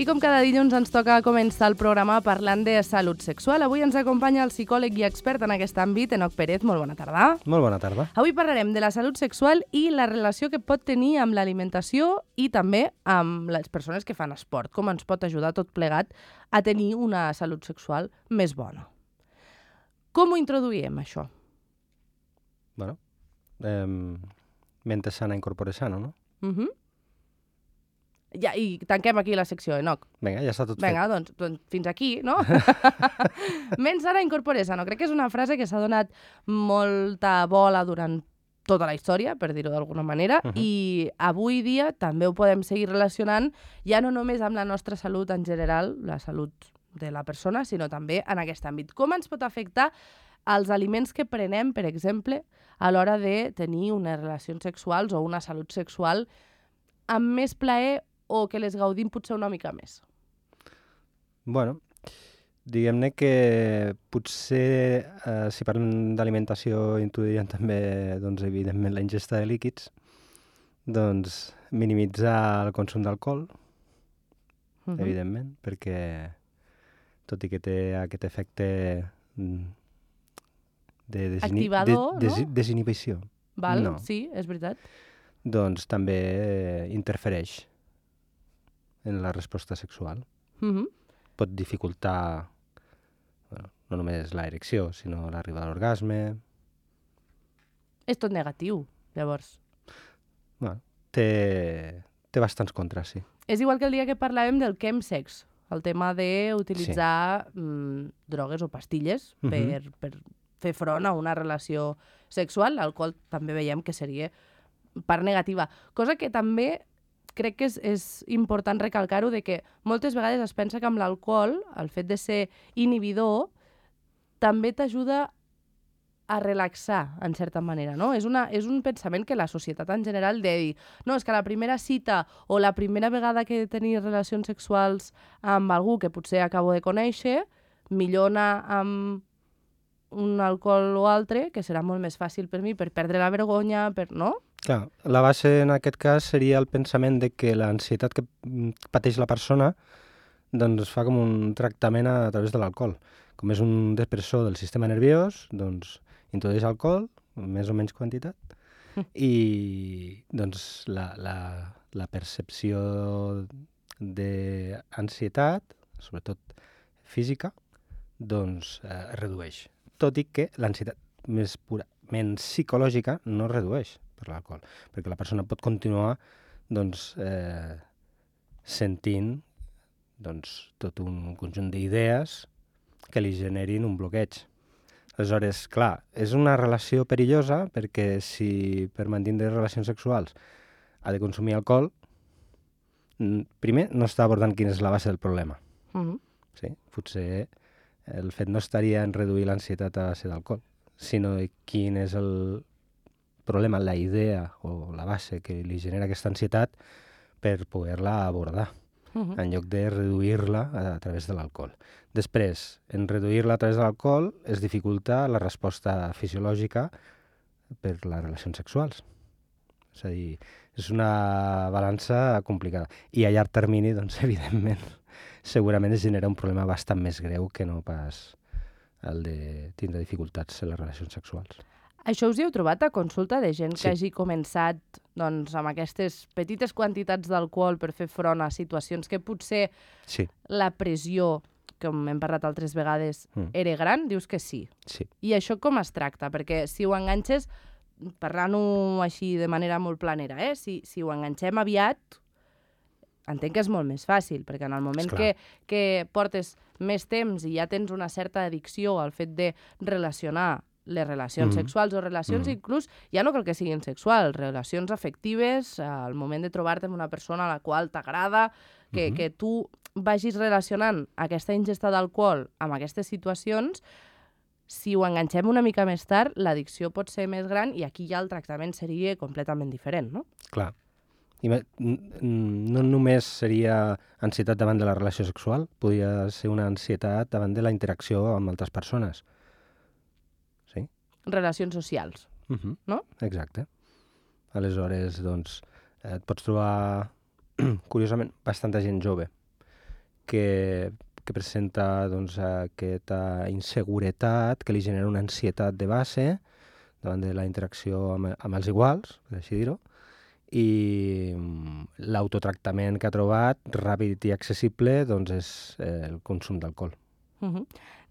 I com cada dilluns ens toca començar el programa parlant de salut sexual. Avui ens acompanya el psicòleg i expert en aquest àmbit, Enoc Pérez. Molt bona tarda. Molt bona tarda. Avui parlarem de la salut sexual i la relació que pot tenir amb l'alimentació i també amb les persones que fan esport. Com ens pot ajudar tot plegat a tenir una salut sexual més bona. Com ho introduïm, això? Bueno, mente sana, incorpore sano, no? Ja, i tanquem aquí la secció, Enoc. Vinga, ja està tot Vinga, fet. doncs fins aquí, no? Ment sana, incorpore sano. Crec que és una frase que s'ha donat molta bola durant tota la història, per dir-ho d'alguna manera, i avui dia també ho podem seguir relacionant ja no només amb la nostra salut en general, la salut de la persona, sinó també en aquest àmbit. Com ens pot afectar els aliments que prenem, per exemple, a l'hora de tenir unes relacions sexuals o una salut sexual amb més plaer o que les gaudim potser una mica més? Bueno, diguem-ne que potser si parlem d'alimentació introduirem també, doncs, evidentment, la ingesta de líquids, doncs minimitzar el consum d'alcohol, evidentment, perquè tot i que té aquest efecte de activador, no? Desinhibició. Val? No. Sí, és veritat. Doncs també interfereix en la resposta sexual. Pot dificultar no només l'erecció, sinó l'arribada a l'orgasme. És tot negatiu, llavors. Bueno, té bastants contres, sí. És igual que el dia que parlàvem del chemsex, el tema d'utilitzar drogues o pastilles per fer front a una relació sexual. L'alcohol també veiem que seria part negativa. Cosa que també crec que és important recalcar-ho, de que moltes vegades es pensa que amb l'alcohol, el fet de ser inhibidor, també t'ajuda a relaxar, en certa manera, no? És un pensament que la societat en general de dir, no, és que la primera cita o la primera vegada que he de tenir relacions sexuals amb algú que potser acabo de conèixer, millor anar amb un alcohol o altre, que serà molt més fàcil per mi, per perdre la vergonya, no? Clar, la base en aquest cas seria el pensament de que l'ansietat que pateix la persona doncs fa com un tractament a través de l'alcohol. Com és un depressor del sistema nerviós, doncs introdueix alcohol, més o menys quantitat, i doncs la percepció d'ansietat, sobretot física, doncs es redueix. Tot i que l'ansietat més purament psicològica no es redueix per l'alcohol, perquè la persona pot continuar doncs, sentint tot un conjunt d'idees que li generin un bloqueig. Aleshores, clar, és una relació perillosa perquè si per mantenir relacions sexuals ha de consumir alcohol, primer no està abordant quina és la base del problema. Sí? Potser el fet no estaria en reduir l'ansietat a base d'alcohol, sinó quin és el problema, la idea o la base que li genera aquesta ansietat per poder-la abordar, en lloc de reduir-la a través de l'alcohol. Després, en reduir-la a través de l'alcohol es dificulta la resposta fisiològica per les relacions sexuals. És a dir, és una balança complicada. I a llarg termini, doncs, evidentment, segurament es genera un problema bastant més greu que no pas el de tindre dificultats en les relacions sexuals. Això us hi heu trobat a consulta de gent que hagi començat doncs, amb aquestes petites quantitats d'alcohol per fer front a situacions que potser la pressió, com hem parlat altres vegades, era gran? Dius que sí. Sí. I això com es tracta? Perquè si ho enganxes, parlant-ho així de manera molt planera, si ho enganxem aviat, entenc que és molt més fàcil, perquè en el moment que portes més temps i ja tens una certa addicció al fet de relacionar les relacions sexuals o relacions inclús, ja no cal que siguin sexuals, relacions afectives, al moment de trobar-te amb una persona a la qual t'agrada, que tu vagis relacionant aquesta ingesta d'alcohol amb aquestes situacions, si ho enganxem una mica més tard, l'addicció pot ser més gran i aquí ja el tractament seria completament diferent, no? Clar. I no només seria ansietat davant de la relació sexual, podria ser una ansietat davant de la interacció amb altres persones. Sí? Relacions socials, no? Exacte. Aleshores, doncs, et pots trobar, curiosament, bastanta gent jove que presenta doncs, aquesta inseguretat que li genera una ansietat de base davant de la interacció amb els iguals, per així dir-ho, i l'autotractament que ha trobat, ràpid i accessible, doncs és el consum d'alcohol.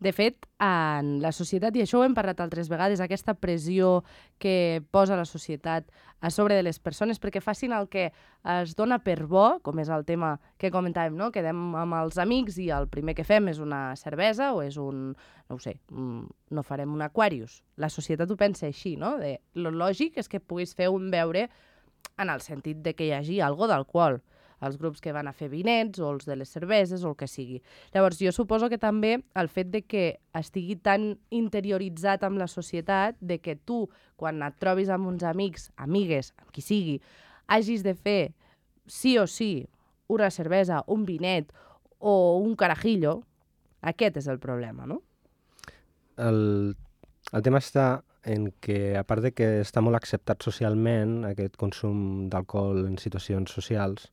De fet, en la societat, i això ho hem parlat altres vegades, aquesta pressió que posa la societat a sobre de les persones perquè facin el que es dona per bo, com és el tema que comentàvem, no? Quedem amb els amics i el primer que fem és una cervesa o és un, no ho sé, no farem un Aquarius. La societat ho pensa així, no? Lo lògic és que puguis fer un beure en el sentit de que hi hagi algo d'alcohol. Els grups que van a fer vinets o els de les cerveses o el que sigui. Llavors, jo suposo que també el fet de que estigui tan interioritzat amb la societat, de que tu, quan et trobis amb uns amics, amigues, amb qui sigui, hagis de fer sí o sí una cervesa, un vinet o un carajillo, aquest és el problema, no? El tema està en que, a part de que està molt acceptat socialment, aquest consum d'alcohol en situacions socials,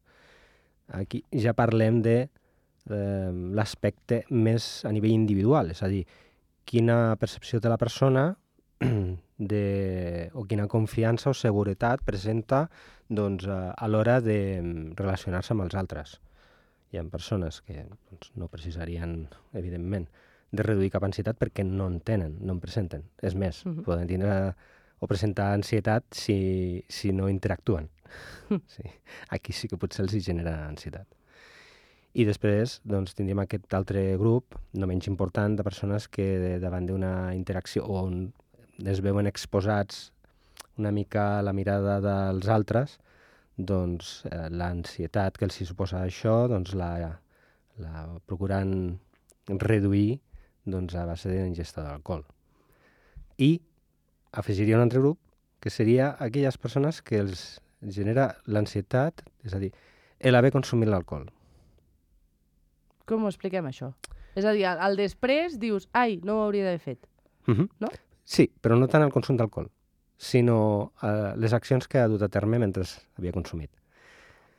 aquí ja parlem de l'aspecte més a nivell individual, és a dir, quina percepció té la persona o quina confiança o seguretat presenta doncs, a l'hora de relacionar-se amb els altres. Hi ha persones que doncs, no precisarien, evidentment, de reduir cap ansietat perquè no en tenen, no en presenten. És més, poden tindre o presentar ansietat si no interactuen. Sí. Aquí sí que potser els genera ansietat. I després doncs, tindríem aquest altre grup, no menys important, de persones que davant d'una interacció on es veuen exposats una mica a la mirada dels altres, doncs l'ansietat que els suposa això doncs, la procuren reduir doncs, a base d'ingesta d'alcohol. I afegiria un altre grup, que seria aquelles persones que els genera l'ansietat, és a dir, l'haver consumit l'alcohol. Com ho expliquem, això? És a dir, al després dius, ai, no ho hauria d'haver fet, no? Sí, però no tant el consum d'alcohol, sinó les accions que ha dut a terme mentre havia consumit.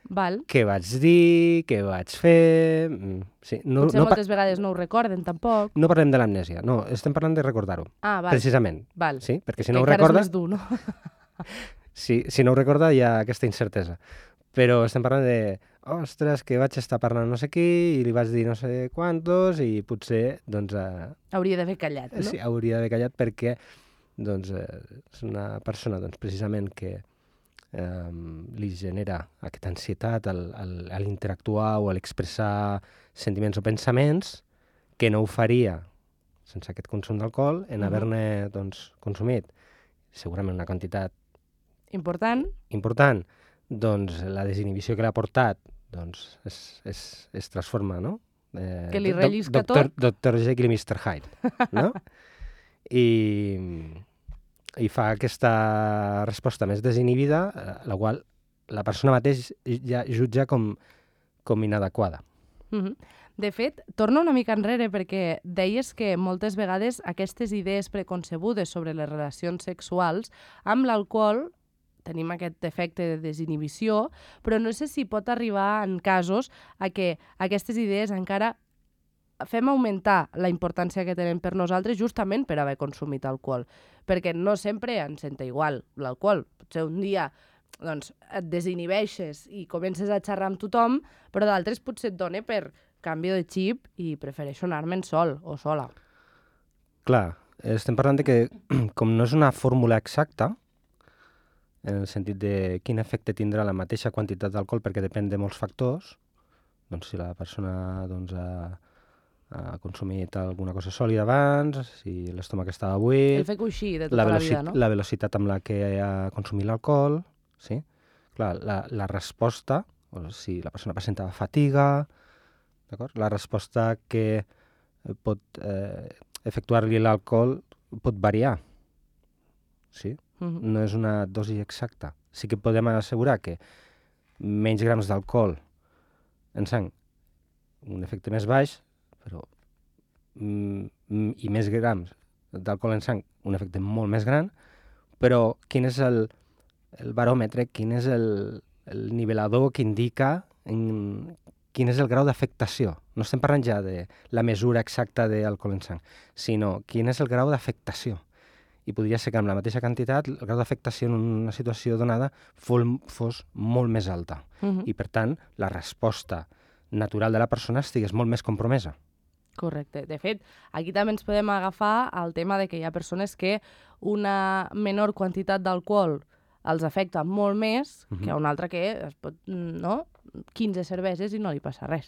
Val. Què vaig dir, què vaig fer... Sí, potser moltes vegades no ho recorden, tampoc. No parlem de l'amnèsia, no, estem parlant de recordar-ho. Ah, val. Precisament. Val. Sí? Perquè si no ho recorda... és més dur, no? Si no ho recorda hi ha aquesta incertesa. Però estem parlant de, ostres, que vaig estar parlant no sé qui i li vaig dir no sé quantos i potser, doncs... hauria d'haver callat, no? Sí, hauria d'haver callat perquè doncs, és una persona, doncs, precisament, que li genera aquesta ansietat a l'interactuar o a l'expressar sentiments o pensaments que no ho faria sense aquest consum d'alcohol en haver-ne doncs, consumit segurament una quantitat important, doncs la desinhibició que l'ha portat doncs, es transforma, no? Que li rellisca tot. Dr. Jekyll i Mr. Hyde, no? I fa aquesta resposta més desinhibida, la qual la persona mateix ja jutja com inadequada. De fet, torna una mica enrere perquè deies que moltes vegades aquestes idees preconcebudes sobre les relacions sexuals amb l'alcohol tenim aquest efecte de desinhibició, però no sé si pot arribar en casos a que aquestes idees encara fem augmentar la importància que tenen per nosaltres justament per haver consumit alcohol. Perquè no sempre ens senta igual l'alcohol. Potser un dia doncs, et desinhibeixes i comences a xerrar amb tothom, però d'altres potser et dona per canvi de xip i prefereixo anar-me'n sol o sola. Clar, estem parlant de que com no és una fórmula exacta, en el sentit de quin efecte tindrà la mateixa quantitat d'alcohol perquè depèn de molts factors, doncs si la persona doncs, ha consumit alguna cosa sòlida abans, si l'estómac estava buit... El fer coixí de tota la vida, no? La velocitat amb la que ha consumit l'alcohol, sí? Clar, la resposta, o si la persona presentava fatiga, d'acord? La resposta que pot efectuar-li l'alcohol pot variar, sí? No és una dosi exacta. Sí que podem assegurar que menys grams d'alcohol en sang, un efecte més baix, però i més grams d'alcohol en sang, un efecte molt més gran, però quin és el baròmetre, quin és el nivelador que indica quin és el grau d'afectació No estem parlant ja de la mesura exacta d'alcohol en sang, sinó quin és el grau d'afectació. I podria ser que amb la mateixa quantitat el grau d'afectació en una situació donada fos molt més alta. I, per tant, la resposta natural de la persona estigués molt més compromesa. Correcte. De fet, aquí també ens podem agafar al tema de que hi ha persones que una menor quantitat d'alcohol els afecta molt més que una altra que es pot, no? 15 cerveses i no li passa res.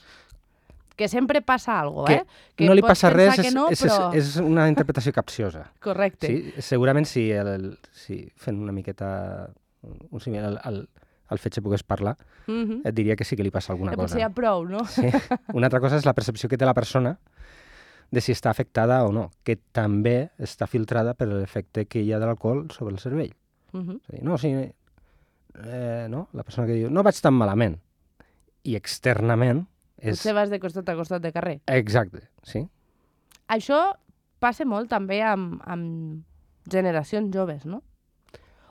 Que sempre passa alguna cosa, Que no li passa res és una interpretació capciosa. Correcte. Sí? Segurament si fent una miqueta un símil al fet que pogués parlar, et diria que sí que li passa alguna cosa. Potser hi ha prou, no? Sí. Una altra cosa és la percepció que té la persona de si està afectada o no, que també està filtrada per l'efecte que hi ha de l'alcohol sobre el cervell. És a dir, no, la persona que diu no vaig tan malament, i externament potser vas de costat a costat de carrer. Exacte, sí. Això passa molt també amb generacions joves, no?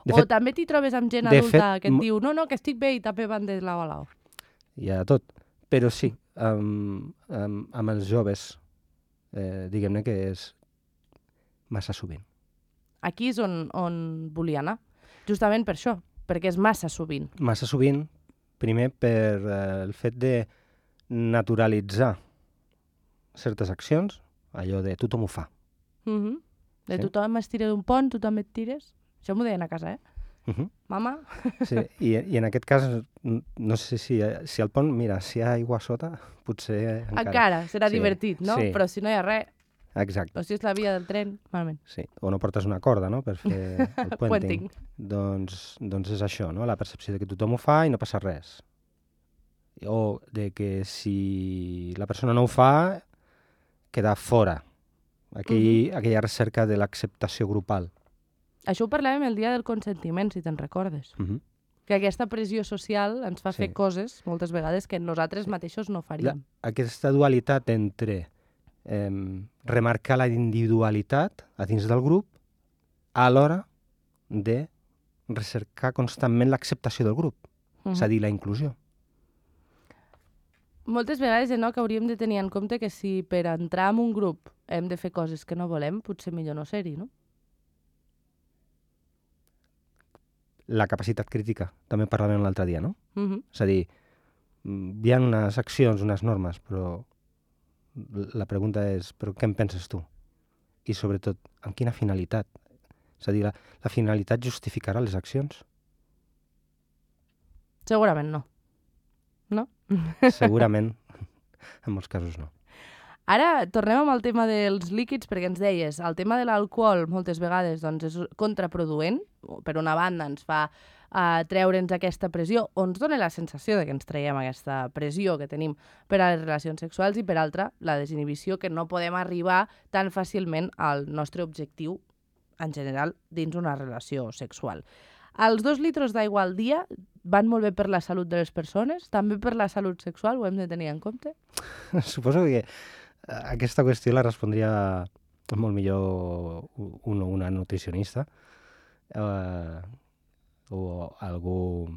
O també t'hi trobes amb gent adulta que et diu no, que estic bé i també van de lau a lau. Hi ha tot, però sí, amb els joves, diguem-ne que és massa sovint. Aquí és on volia anar, justament per això, perquè és massa sovint. Massa sovint, primer per el fet de naturalitzar certes accions, allò de tothom ho fa. De tothom es tira d'un pont, tu també et tires. Això m'ho deien a casa, Mama? Sí, i en aquest cas, no sé si al pont, mira, si hi ha aigua a sota, potser encara serà divertit, no? Sí. Però si no hi ha res... Exacte. O si és la via del tren, malament. Sí, o no portes una corda, no?, per fer el puenting. Doncs és això, no?, la percepció de que tothom ho fa i no passa res. O de que si la persona no ho fa, queda fora. Aquella recerca de l'acceptació grupal. Això ho parlàvem el dia del consentiment, si te'n recordes. Que aquesta pressió social ens fa fer coses, moltes vegades, que nosaltres mateixos no faríem. Aquesta dualitat entre remarcar la individualitat a dins del grup a l'hora de recercar constantment l'acceptació del grup, és a dir, la inclusió. Moltes vegades que hauríem de tenir en compte que si per entrar en un grup hem de fer coses que no volem, potser millor no ser-hi, no? La capacitat crítica, també parlàvem l'altre dia, no? És a dir, hi ha unes accions, unes normes, però la pregunta és, però què en penses tu? I sobretot, amb quina finalitat? És a dir, la finalitat justificarà les accions? Segurament no. No? Segurament, en molts casos no. Ara tornem amb el tema dels líquids, perquè ens deies, el tema de l'alcohol moltes vegades doncs, és contraproduent. Per una banda ens fa treure'ns aquesta pressió, o ens dona la sensació de que ens traiem aquesta pressió que tenim per a les relacions sexuals, i per altra, la desinhibició, que no podem arribar tan fàcilment al nostre objectiu en general dins una relació sexual. Els 2 litres d'aigua al dia van molt bé per la salut de les persones? També per la salut sexual? Ho hem de tenir en compte? Suposo que aquesta qüestió la respondria molt millor una nutricionista o algú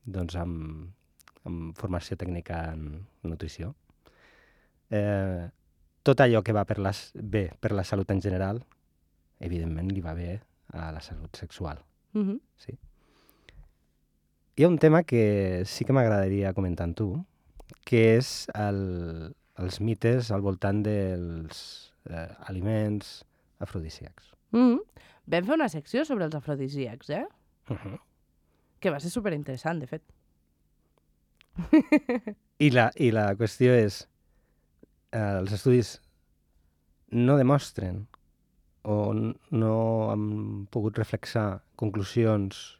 doncs, amb formació tècnica en nutrició. Tot allò que va bé per la salut en general, evidentment li va bé a la salut sexual. Sí. Hi ha un tema que sí que m'agradaria comentar amb tu, que és els mites al voltant dels aliments afrodisíacs. Vam fer una secció sobre els afrodisíacs, que va ser superinteressant, de fet. I la qüestió és, els estudis no demostren o no han pogut reflexar conclusions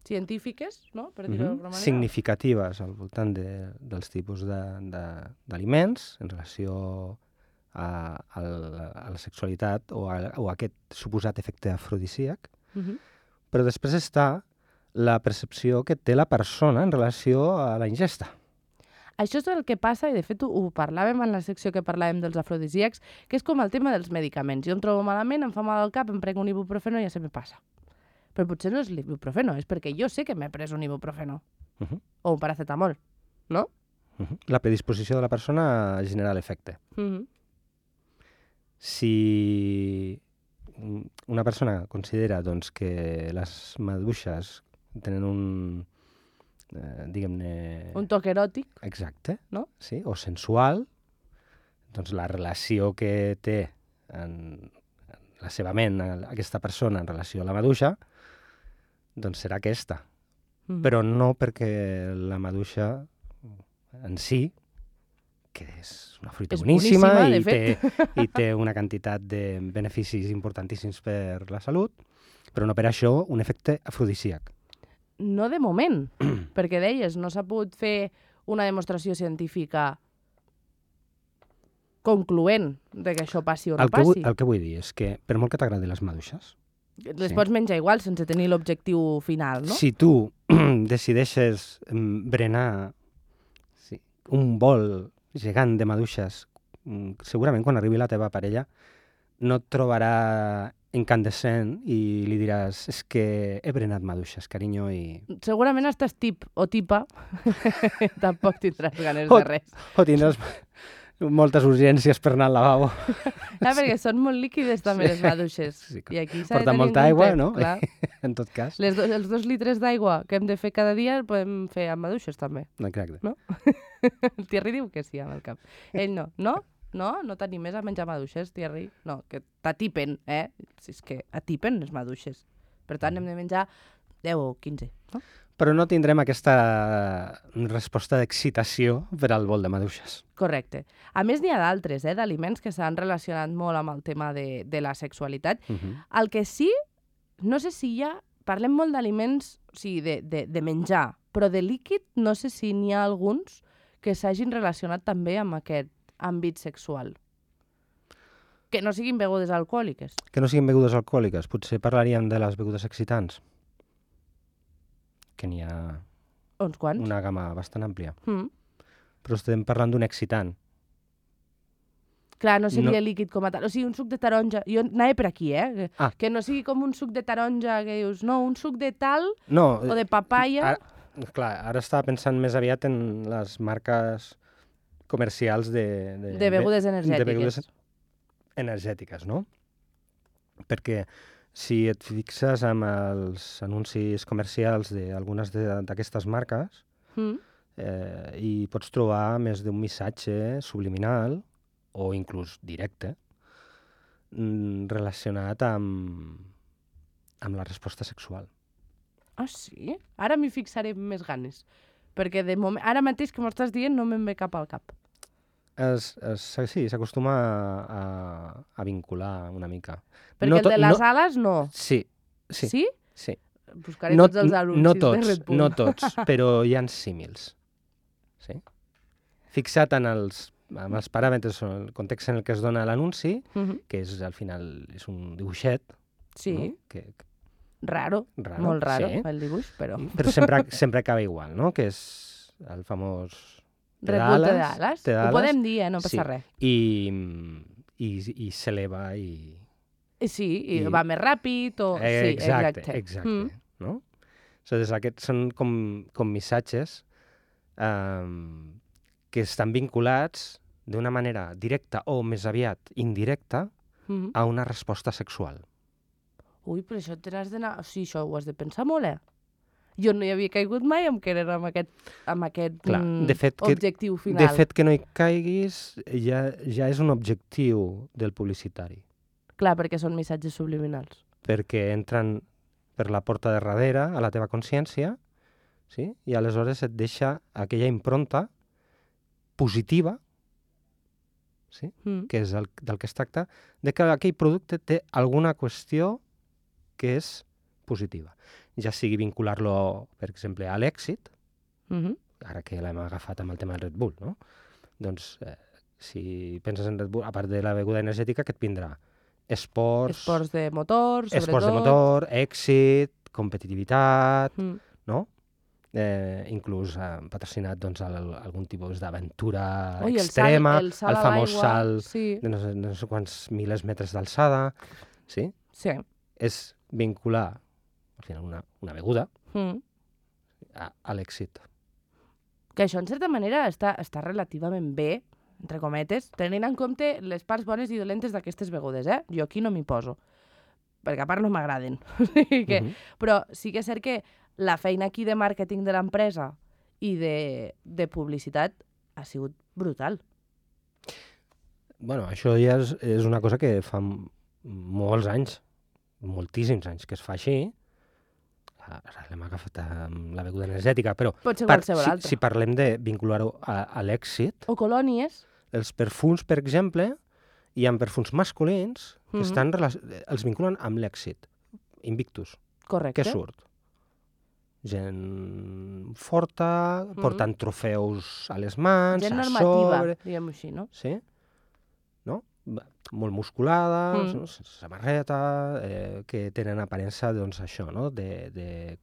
científiques, no? Per dir-ho d'alguna manera. Significatives al voltant dels tipus d'aliments en relació a la sexualitat o a aquest suposat efecte afrodisíac, però després està la percepció que té la persona en relació a la ingesta. Això és el que passa, i de fet ho parlàvem en la secció que parlàvem dels afrodisíacs, que és com el tema dels medicaments. Jo em trobo malament, em fa mal al cap, em prenc un ibuprofeno i ja se me passa. Però potser no és l'ibuprofeno, és perquè jo sé que m'he pres un ibuprofeno. O un paracetamol, no? La predisposició de la persona a generar l'efecte. Si una persona considera doncs, que les maduixes tenen un, diguem-ne... Un toc eròtic. Exacte, no? Sí, o sensual, doncs la relació que té en la seva ment aquesta persona en relació a la maduixa, doncs serà aquesta. Però no perquè la maduixa en si, que és una fruita boníssima i té una quantitat de beneficis importantíssims per la salut, però no per això un efecte afrodisíac. No de moment, perquè deies, no s'ha pogut fer una demostració científica concloent de que això passi o no passi. El que vull dir és que, per molt que t'agradin les maduixes... Les pots menjar igual, sense tenir l'objectiu final, no? Si tu decideixes berenar un bol gegant de maduixes, segurament quan arribi la teva parella no et trobarà incandescent i li diràs és que he berenat maduixes, carinyo, i... Segurament estàs tip o tipa, tampoc tindràs ganes de res. O tindràs moltes urgències per anar al lavabo. Perquè són molt líquides també les maduixes. Sí, I aquí s'ha de porten tenir molta aigua, no? Clar. En tot cas. Els 2 litres d'aigua que hem de fer cada dia el podem fer amb maduixes també. Exacte. No? El Thierry diu que sí amb el cap. Ell no. No? No t'animes a menjar maduixes, Thierry? No, que t'atipen, Si és que atipen les maduixes. Per tant, hem de menjar 10 o 15, no? Però no tindrem aquesta resposta d'excitació per al bol de maduixes. Correcte. A més, n'hi ha d'altres, d'aliments que s'han relacionat molt amb el tema de la sexualitat. El que sí, no sé si parlem molt d'aliments, o sigui, de menjar, però de líquid no sé si n'hi ha alguns que s'hagin relacionat també amb aquest àmbit sexual. Que no siguin begudes alcohòliques. Que no siguin begudes alcohòliques. Potser parlaríem de les begudes excitants. Que n'hi ha uns quants. Una gamma bastant àmplia. Però estem parlant d'un excitant. Clar, no seria líquid com a tal. O sigui, un suc de taronja... Jo anava per aquí, Que no sigui com un suc de taronja que dius, no, un suc de tal o de papaya... Clar, ara estava pensant més aviat en les marques comercials de begudes energètiques. De begudes energètiques, no? Perquè si et fixes amb els anuncis comercials d'algunes d'aquestes marques, hi pots trobar més d'un missatge subliminal o inclús directe relacionat amb la resposta sexual. Ah, sí? Ara m'hi fixaré amb més ganes. Perquè de moment, ara mateix que m'ho estàs dient no me'n ve cap al cap. Sí, s'acostuma a vincular una mica. Perquè el de les ales no. Sí. Sí? Sí. Buscaré tots els anuncis de Red Bull. No tots, però hi ha símils. Sí? Fixa't en els paràmetres o el context en el que es dona l'anunci, que és al final és un dibuixet. Sí. No? Raro, molt raro, sí. El dibuix, però... Però sempre acaba igual, no? Que és el famós... Red Bull té d'ales. Ho podem dir, no passa res. I s'eleva i... Sí, i va més ràpid o... Exacte. No? Aquests són com missatges que estan vinculats d'una manera directa o més aviat indirecta a una resposta sexual. Ui, però això t'has d'anar... O sigui, això ho has de pensar molt, Jo no hi havia caigut mai amb querer amb aquest objectiu final. De fet, que no hi caiguis ja és un objectiu del publicitari. Clar, perquè són missatges subliminals. Perquè entren per la porta de darrere a la teva consciència, sí? I aleshores et deixa aquella impronta positiva, sí? Que és del que es tracta, de que aquell producte té alguna qüestió que és positiva. Ja sigui vincular-lo, per exemple, a l'èxit, ara que l'hem agafat amb el tema del Red Bull, no? Doncs, si penses en Red Bull, a part de la beguda energètica, què et vindrà? Esports de motor, sobretot. Esports de motor, èxit, competitivitat, no? Inclús patrocinat algun tipus d'aventura extrema, el famós salt de no sé quants milers metres d'alçada. Sí? Sí. És vincular al final una beguda a l'èxit. Que això, en certa manera, està relativament bé, entre cometes, tenint en compte les parts bones i dolentes d'aquestes begudes, eh? Jo aquí no m'hi poso, perquè a part no m'agraden. Però sí que és cert que la feina aquí de màrqueting de l'empresa i de publicitat ha sigut brutal. Bueno, això ja és una cosa que fa molts anys, moltíssims anys que es fa així. Ara l'hem agafat amb la beguda energètica, però pot ser qualsevol altra. Si parlem de vincular-ho a l'èxit... O colònies. Els perfums, per exemple, hi ha perfums masculins que els vinculen amb l'èxit. Invictus. Correcte. Què surt? Gent forta, portant trofeus a les mans, gent a normativa, sobre... diguem-ho així, no? Sí? No? Molt musculada, no? Samarreta, que tenen aparença, doncs, això, no? De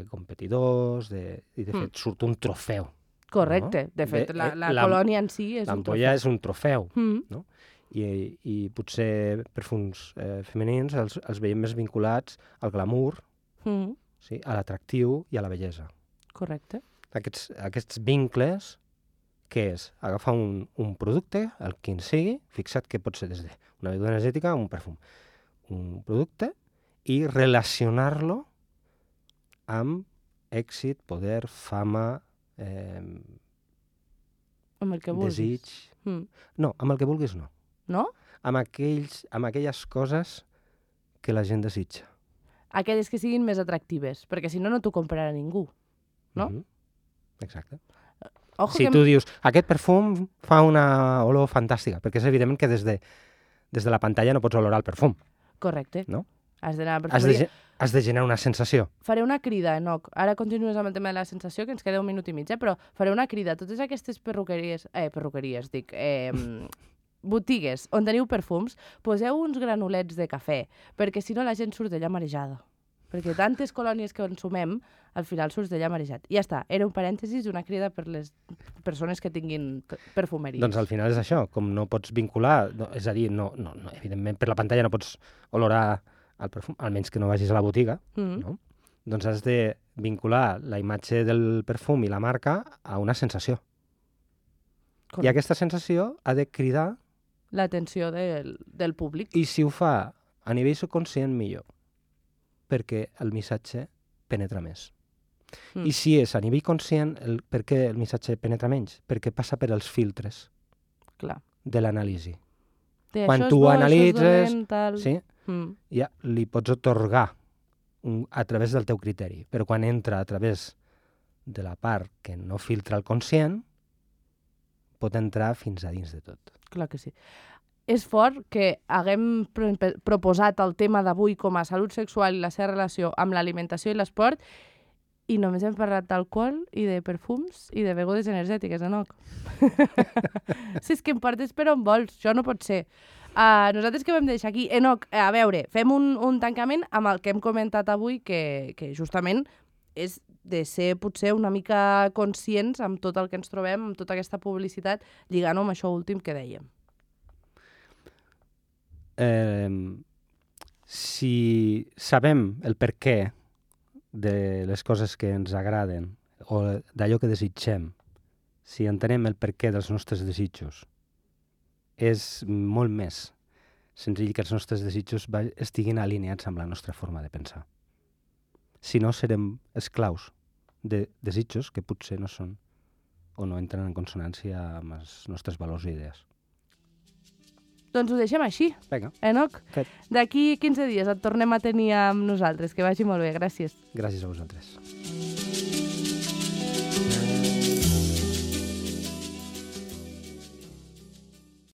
competidors, i de fet surt un trofeu. Correcte. No? De fet, la colònia en si és un trofeu. L'ampolla és un trofeu, no? I potser perfums femenins els veiem més vinculats al glamour, sí? A l'atractiu i a la bellesa. Correcte. Aquests vincles, què és? Agafar un producte, el quin sigui, fixa't que pot ser des d'una beguda energètica a un perfum. Un producte i relacionar-lo amb èxit, poder, fama, amb el que vulguis. Desig... No, amb el que vulguis no. No? Amb aquelles coses que la gent desitja. Aquelles que siguin més atractives, perquè si no, no t'ho comprarà ningú, no? Exacte. Ojo si tu dius, aquest perfum fa una olor fantàstica, perquè és evident que des de la pantalla no pots olorar el perfum. Correcte. No? Has d'anar a perfumeria. Has de generar una sensació. Faré una crida, Enoch. Ara continues amb el tema de la sensació, que ens queda 1 minut i mig, però faré una crida a totes aquestes perruqueries, botigues on teniu perfums, poseu uns granulets de cafè, perquè si no la gent surt d'allà marejada. Perquè tantes colònies que consumem, al final surts d'allà marejat. I ja està, era un parèntesis, una crida per les persones que tinguin perfumeries. Doncs al final és això, com no pots vincular, és a dir, no, evidentment per la pantalla no pots olorar el perfum, almenys que no vagis a la botiga, no? Doncs has de vincular la imatge del perfum i la marca a una sensació. Correcte. I aquesta sensació ha de cridar l'atenció del públic. I si ho fa a nivell subconscient, millor, perquè el missatge penetra més. I si és a nivell conscient, per què el missatge penetra menys? Perquè passa per els filtres de l'anàlisi. Quan tu analitzes, ja li pots atorgar a través del teu criteri, però quan entra a través de la part que no filtra el conscient, pot entrar fins a dins de tot. Clar que sí. És fort que haguem proposat el tema d'avui com a salut sexual i la seva relació amb l'alimentació i l'esport i només hem parlat d'alcohol i de perfums i de begudes energètiques, Enoch. Si és que em portes per on vols, això no pot ser. Nosaltres què vam deixar aquí? Enoch, a veure, fem un tancament amb el que hem comentat avui, que justament és de ser potser una mica conscients amb tot el que ens trobem, amb tota aquesta publicitat, lligant-ho amb això últim que dèiem. Si sabem el perquè de les coses que ens agraden o d'allò que desitgem, si entenem el perquè dels nostres desitjos, és molt més senzill que els nostres desitjos estiguin alineats amb la nostra forma de pensar. Si no, serem esclaus de desitjos que potser no són o no entren en consonància amb els nostres valors i idees. Doncs ho deixem així. Vinga. Enoch, d'aquí 15 dies et tornem a tenir amb nosaltres. Que vagi molt bé. Gràcies. Gràcies a vosaltres.